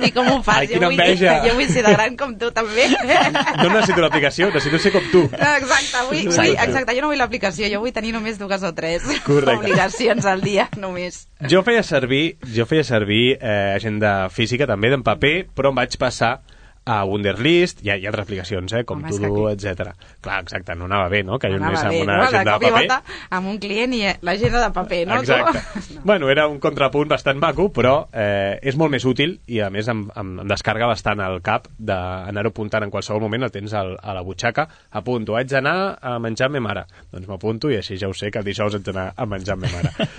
B: I com ho fas?
C: Ai,
B: jo,
C: quina
B: vull,
C: enveja.
B: jo vull ser de gran com tu, també.
C: No necessito l'aplicació, necessito ser com tu.
B: Exacte, vull, vull,
E: Exacte.
B: exacte, jo no vull l'aplicació, jo vull tenir només dues o tres
C: Correcte.
B: obligacions al dia, només.
C: Jo feia servir, jo feia servir eh, agenda física, també d'en paper, però em vaig passar a Wunderlist, hi ha, hi ha altres aplicacions, eh, com
B: Home, és
C: To-Do,
B: que
C: etcètera. Clar, exacte, no anava bé, no?, que jo
B: Anava
C: només amb
B: bé,
C: una
B: no? De
C: agenda
B: cop
C: de
B: i
C: paper.
B: volta amb un client i l'agenda de paper, no?
C: Exacte.
B: Tu?
C: Bueno, era un contrapunt bastant maco, però eh, és molt més útil i, a més, em, em, em descarga bastant al cap d'anar-ho apuntant en qualsevol moment, el tens al, a la butxaca, apunto, haig d'anar a menjar amb ma mare. Doncs m'apunto i així ja ho sé, que el dijous haig d'anar a menjar amb ma mare.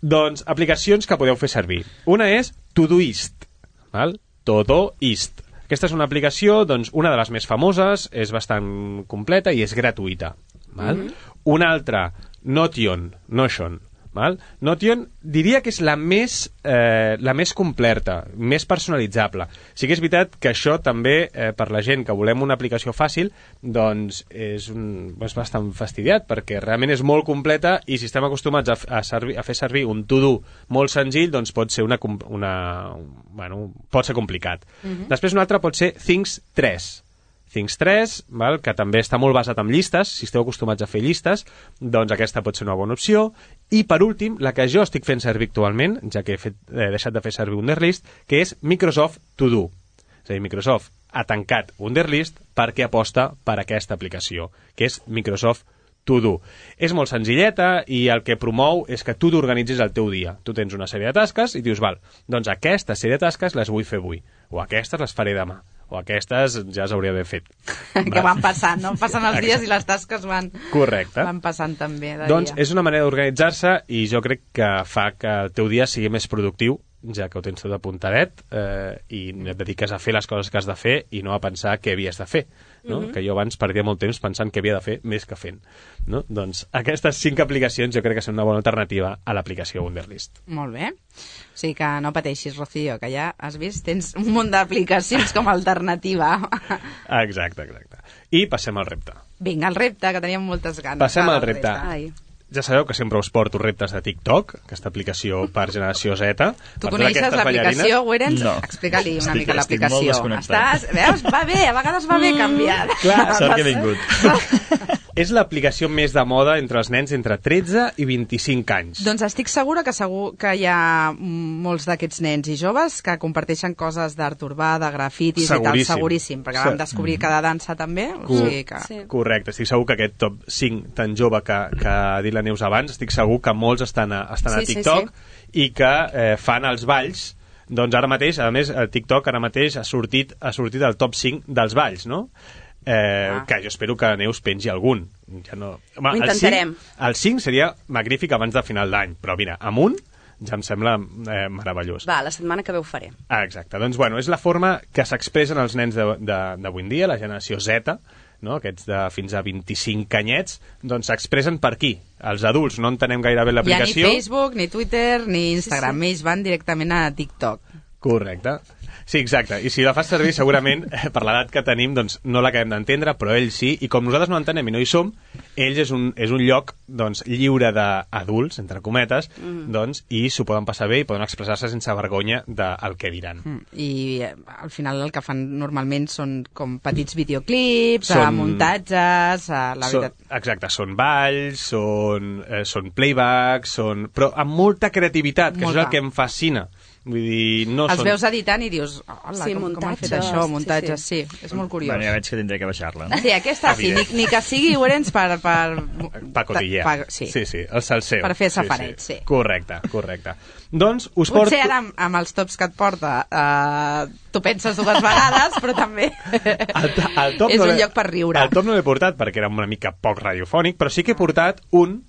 C: Doncs, aplicacions que podeu fer servir. Una és Todoist, val? Todoist. Aquesta és una aplicació, doncs, una de les més famoses, és bastant completa i és gratuïta. Val? Mm-hmm. Una altra, Notion, Notion. Val? Notion diria que és la més, eh, la més completa, més personalitzable. Sí que és veritat que això també, eh, per la gent que volem una aplicació fàcil, doncs és, un, és bastant fastidiat, perquè realment és molt completa i si estem acostumats a, a, servir, a fer servir un to-do molt senzill, doncs pot ser, una, una, bueno, pot ser complicat. Mm-hmm. Després una altra pot ser Things tres. Things tres, val, que també està molt basat en llistes, si esteu acostumats a fer llistes, doncs aquesta pot ser una bona opció. I per últim, la que jo estic fent servir actualment, ja que he, fet, he deixat de fer servir Wunderlist, que és Microsoft To Do. És a dir, Microsoft ha tancat Wunderlist perquè aposta per aquesta aplicació, que és Microsoft To Do. És molt senzilleta i el que promou és que tu t'organitzis el teu dia. Tu tens una sèrie de tasques i dius, val, doncs aquesta sèrie de tasques les vull fer avui, o aquestes les faré demà, o aquestes ja s'hauria d'haver fet.
B: Que van passant, no? Passen els dies i les tasques van,
C: Correcte.
B: van passant també de
C: Doncs
B: dia.
C: és una manera d'organitzar-se i jo crec que fa que el teu dia sigui més productiu, ja que ho tens tot apuntadet eh, i et dediques a fer les coses que has de fer i no a pensar què havies de fer, no? Mm-hmm. Que jo abans perdia molt temps pensant què havia de fer més que fent, no? Doncs aquestes cinc aplicacions jo crec que són una bona alternativa a l'aplicació Wunderlist.
B: Molt bé. O sigui que no pateixis, Rocío, que ja has vist, tens un munt d'aplicacions com a alternativa.
C: Exacte, exacte. I passem al repte.
B: Vinga, el repte, que teníem moltes ganes.
C: Passem
B: Va,
C: al
B: del
C: repte.
D: Ai.
C: Ja sabeu que sempre us porto reptes de TikTok, aquesta aplicació per generació Z.
B: Tu
C: per
B: coneixes
C: aquestes
B: l'aplicació,
C: ballarines.
B: Wérens?
E: No.
B: Explica-li una
E: Estic-
B: mica
E: estic molt
B: l'aplicació.
E: desconnectat.
B: Estàs... Veus? Va bé, a vegades va bé canviar.
C: Clar,
E: Sort que he vingut.
C: És l'aplicació més de moda entre els nens entre tretze i vint-i-cinc anys.
B: Doncs estic segura que segur que hi ha molts d'aquests nens i joves que comparteixen coses d'art urbà, de grafitis i tal,
C: Seguríssim.
B: seguríssim, perquè
C: Sí.
B: vam descobrir que de dansa també, o
C: Cor-
B: sigui que...
D: Sí.
C: Correcte, estic segur que aquest top cinc tan jove que, que ha dit la Neus abans, estic segur que molts estan a, estan a
D: Sí, sí,
C: TikTok i que eh, fan els balls. Doncs ara mateix, a més, el TikTok ara mateix ha sortit, ha sortit el top cinc dels balls, no? Eh,
B: Ah.
C: que jo espero que Neus pengi algun. Ja no... Home,
D: Ho intentarem.
C: El cinc, el cinc seria magnífic abans de final d'any, però mira, amb un ja em sembla eh, meravellós.
D: Va, la setmana que ve ho faré.
C: Ah, exacte. Doncs, bueno, és la forma que s'expressen els nens d'avui en dia, la generació Z, no? Aquests de fins a vint-i-cinc anyets, doncs s'expressen per aquí. Els adults no entenem gaire bé
B: Hi ha ni
C: l'aplicació.
B: Facebook, ni Twitter, ni Instagram. Sí, sí. Ells van directament a TikTok.
C: Correcte. Sí, exacte. I si la fas servir, segurament, per l'edat que tenim, doncs no l'acabem d'entendre, però ells sí. I com nosaltres no entenem i no hi som, ells és un, és un lloc doncs, lliure d'adults, entre cometes, mm. doncs, i s'ho poden passar bé i poden expressar-se sense vergonya del que diran.
B: Mm. I eh, al final el que fan normalment són com petits videoclips,
C: són,
B: muntatges, a la
C: són,
B: veritat...
C: Exacte, són balls, són, eh, són playbacks, són, però amb molta creativitat, que molta. Això és el que em fascina. Vull dir, no
B: Els
C: són...
B: veus editant i dius, hola,
D: sí,
B: com, com han fet això, muntatges, sí, sí. sí, és molt curiós.
E: Bueno, ja veig que tindré que baixar-la. No?
B: Sí, aquesta sí, ni, ni que sigui Orenys per... Per,
C: per cotillear.
B: Pa, sí.
C: sí, sí, el salseu.
B: Per fer safareig,
C: sí, sí.
B: sí.
C: Correcte, correcte. Doncs us porto...
B: Potser ara amb, amb els tops que et porta uh, tu penses dues vegades, però també
C: el, el top
B: és
C: no
B: un lloc per riure.
C: El top no l'he portat perquè era una mica poc radiofònic, però sí que he portat un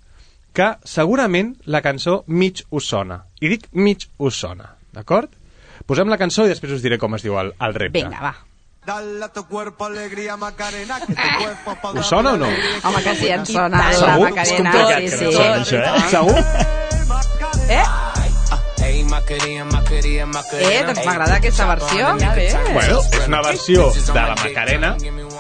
C: que segurament la cançó mig us sona. I dic mig us sona, d'acord? Posem la cançó i després us diré com es diu el, el repte.
B: Vinga, va.
G: Dale a tu cuerpo alegría, Macarena, que tu cuerpo pa
C: Us sona o no?
B: Home, que sí, ens sona la
C: Segur?
B: Macarena.
C: És
B: Sí,
C: complicat
B: sí.
C: que no soni, això, eh? Segur?
B: Eh? Eh, doncs m'agrada aquesta versió. Ja bé.
C: Bueno, és una versió de la Macarena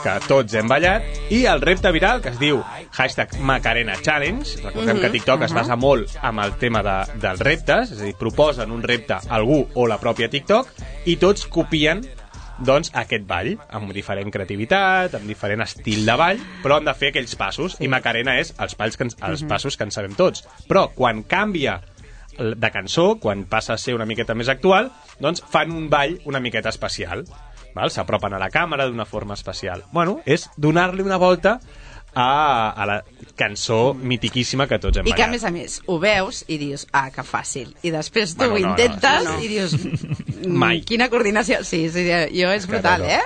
C: que tots hem ballat i el repte viral que es diu hashtag Macarena Challenge. Recordem
B: Mhm,
C: que TikTok es
B: mhm.
C: basa molt amb el tema de, dels reptes, és a dir, proposen un repte a algú o la pròpia TikTok i tots copien doncs aquest ball, amb diferent creativitat, amb diferent estil de ball, però han de fer aquells passos, i Macarena és els, balls que ens, els passos que en sabem tots. Però quan canvia de cançó, quan passa a ser una miqueta més actual, doncs fan un ball una miqueta especial. Val? S'apropen a la càmera d'una forma especial. Bueno, és donar-li una volta a, a la cançó mitiquíssima que tots hem
B: I que, a
C: ballat.
B: més a més, ho veus i dius, ah, que fàcil. I després tu
C: Bueno,
B: ho
C: no, no,
B: intentes
C: no, no.
B: i dius,
C: Mai.
B: mm, quina coordinació. Sí, sí, jo és brutal,
C: no.
B: eh?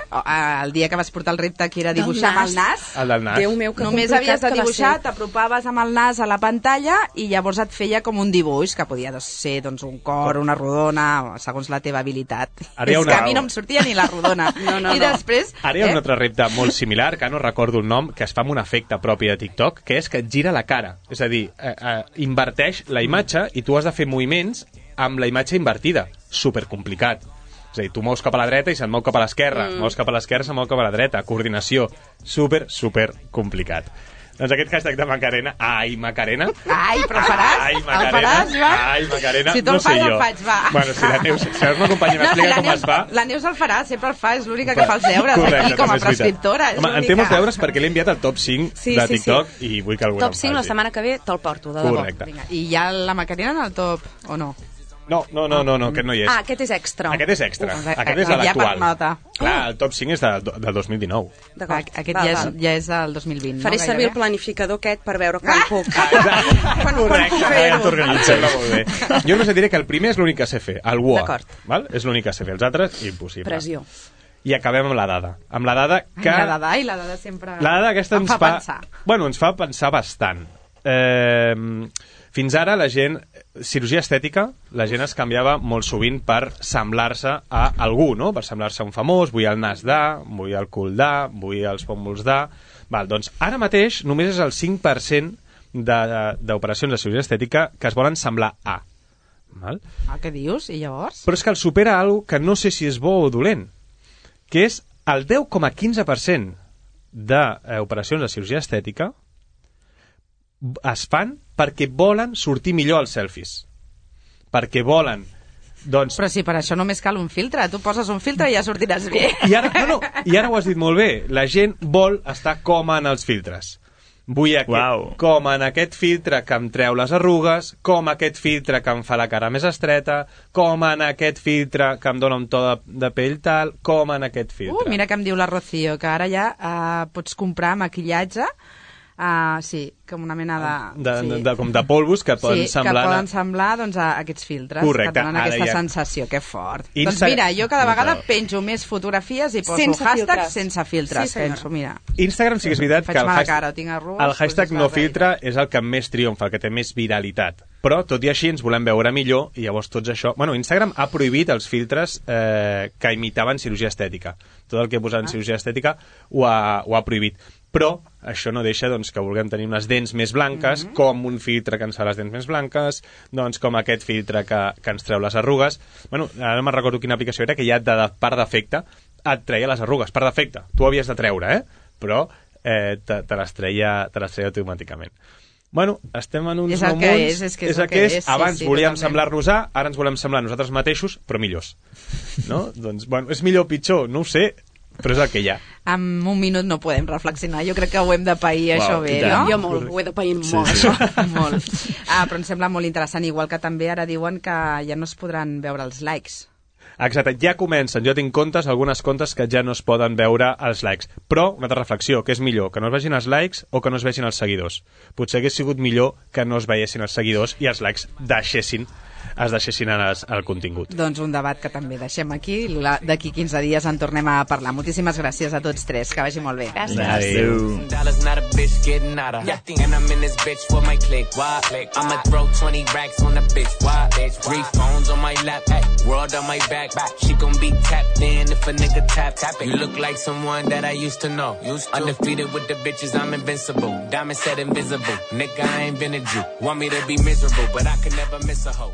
B: El dia que vas portar el repte que era dibuixar amb el nas,
C: El del nas.
D: Déu meu, que
B: només
D: complicat
B: havies de
D: que va
B: dibuixar,
D: ser.
B: t'apropaves amb el nas a la pantalla i llavors et feia com un dibuix, que podia doncs, ser doncs, un cor, una rodona, segons la teva habilitat.
C: Ara hi ha
B: És
C: una-
B: que a mi no em sortia ni la rodona.
D: No, no,
B: I
D: no.
B: després...
C: Ara hi ha
B: eh?
C: un altre repte molt similar, que no recordo el nom, que es fa amb un efecte propi de TikTok, que és que et gira la cara. És a dir, eh, eh, inverteix la imatge i tu has de fer moviments amb la imatge invertida. Supercomplicat. És a dir, tu mous cap a la dreta i se'n mou cap a l'esquerra. Mm. Mous cap a l'esquerra i se'n mou cap a la dreta. Coordinació. Super, super complicat. Doncs aquest hashtag de Macarena, ai, Macarena.
B: Ai, però el faràs?
C: Ai,
B: El
C: Macarena.
B: faràs, Joan?
C: Ai, Macarena.
B: Si tu
C: no
B: el fas,
C: sé
B: el
C: jo.
B: faig, va.
C: Bueno, si la Neus, si la Neus m'acompanya i m'explica
B: la
C: com
B: Neus,
C: es fa...
B: La Neus el farà, sempre el fa, és l'única que fa els deures
C: Correcte,
B: aquí com
C: també
B: a
C: és veritat.
B: prescriptora. És
C: Home, en
B: l'única.
C: té molts deures perquè l'he enviat al top cinc
D: Sí,
C: de
D: sí,
C: TikTok
D: sí.
C: i vull que algú
D: Top
C: el
D: cinc la
C: faci.
D: setmana que ve te'l porto, de debò.
C: Correcte.
B: Vinga, i hi ha la Macarena en el top, o no?
C: No, no, no, no, no, aquest no hi és.
D: Ah, aquest és extra.
C: Aquest és extra.
B: Uf,
C: Aquest és
B: ja per
C: l'actual.
B: nota.
C: Clar, el top cinc és del, del dos mil dinou.
D: D'acord.
B: Aquest
D: Val,
B: ja és,
D: val.
B: ja és del dos mil vint,
D: Faré
B: no?
D: servir el
B: Gairebé.
D: planificador aquest per veure quan puc.
B: Quan- quan
C: Correcte,
B: puc
C: ja
B: fer-ho?
C: t'organitzes. Em sembla molt bé. Jo només et diré que el primer és l'únic que sé fer, el W O A.
D: D'acord.
C: Val? És l'únic que sé fer. Els altres, impossible.
D: Pressió.
C: I acabem amb la dada. Amb la dada que...
B: Ai, la dada, i la dada sempre...
C: La dada aquesta
B: em
C: ens
B: fa
C: fa...
B: pensar.
C: Bueno, ens fa pensar bastant. Eh, fins ara la gent... Cirurgia estètica, la gent es canviava molt sovint per semblar-se a algú, no? Per semblar-se a un famós, vull el nas de, vull el cul de, vull els pòmuls de... Val, doncs ara mateix només és el cinc per cent de- d'operacions de, de cirurgia estètica que es volen semblar a. Val?
B: Ah, què dius? I llavors?
C: Però és que el supera algo que no sé si és bo o dolent, que és el deu coma quinze per cent d'operacions de cirurgia estètica es fan perquè volen sortir millor als selfies. Perquè volen, doncs...
B: Però si per això només cal un filtre. Tu poses un filtre i ja sortiràs bé.
C: I ara, no, no, i ara ho has dit molt bé. La gent vol estar com en els filtres. Vull aquest,
E: Uau.
C: com en aquest filtre que em treu les arrugues, com aquest filtre que em fa la cara més estreta, com en aquest filtre que em dona un to de, de pell tal, com en aquest filtre.
B: Uh, mira que em diu la Rocío, que ara ja uh, pots comprar maquillatge, uh, sí, com una mena de...
C: de,
B: sí.
C: de, de, com de polvos que poden
B: sí,
C: semblar...
B: que poden semblar doncs, a aquests filtres.
C: Correcte,
B: que donen
C: ara
B: aquesta
C: ja-
B: sensació, que fort.
C: Insta-
B: Doncs mira, jo cada vegada
C: Insta-
B: penjo més fotografies i poso
D: Sense
B: hashtags
D: filtres.
B: sense filtres.
D: Sí, senyora.
B: penso, mira,
C: Instagram sí que és veritat
B: faig
C: que el
B: mala
C: hashtag,
B: cara, tinc arrugues,
C: el
B: doncs
C: hashtag
B: és
C: no
B: la
C: filtre és el que més triomfa, el que té més viralitat. Però, tot i així, ens volem veure millor i llavors tots això... Bueno, Instagram ha prohibit els filtres eh, que imitaven cirurgia estètica. Tot el que posaven
B: Ah.
C: cirurgia estètica ho ha, ho ha prohibit. però això no deixa doncs, que vulguem tenir unes dents més blanques, mm -hmm. com un filtre que ens fa les dents més blanques, doncs com aquest filtre que, que ens treu les arrugues. Bueno, ara no me'n recordo quina aplicació era, que ja de, de, per defecte et treia les arrugues, per defecte. Tu ho havies de treure, eh? Però eh, te, te, les treia, te les treia automàticament. Bueno, estem en uns
B: és el
C: no
B: que
C: munts,
B: és, és que és,
C: és el que és. és.
B: Sí,
C: Abans
B: sí,
C: volíem
B: totalment.
C: semblar-nos a, ara ens volem semblar nosaltres mateixos, però millors. No? Doncs, bueno, és millor o pitjor? No ho sé, però és el que hi ha.
B: En un minut no podem reflexionar. Jo crec que ho hem de pair,
C: Wow,
B: això bé,
E: i tant.
B: no?
D: Jo molt, ho he de pair
E: Sí,
D: molt,
E: sí.
D: això.
B: Molt. Ah, però em sembla molt interessant, igual que també ara diuen que ja no es podran veure els likes.
C: Exacte, ja comencen, jo tinc comptes, algunes comptes que ja no es poden veure els likes. Però, una altra reflexió, què és millor, que no es vegin els likes o que no es vegin els seguidors? Potser hagués sigut millor que no es veiessin els seguidors i els likes deixessin, es deixessin el, el contingut.
B: Doncs un debat que també deixem aquí. La- D'aquí quinze dies en tornem a parlar. Moltíssimes gràcies a tots tres, que vagi molt bé.
E: Adéu.
H: Dollars not a bitch getting out of. And I'm in this bitch for my click. Why? I'ma throw twenty racks on a bitch. Why? Three phones on my lap. World on my back. She gon' be tapped in if a nigga tap. Tap it. You look like someone that I used to know. Used to. Undefeated with the bitches, I'm invincible. Diamond said invisible. Nigga, I ain't been a Jew. Want me to be miserable, but I could never miss a hoe.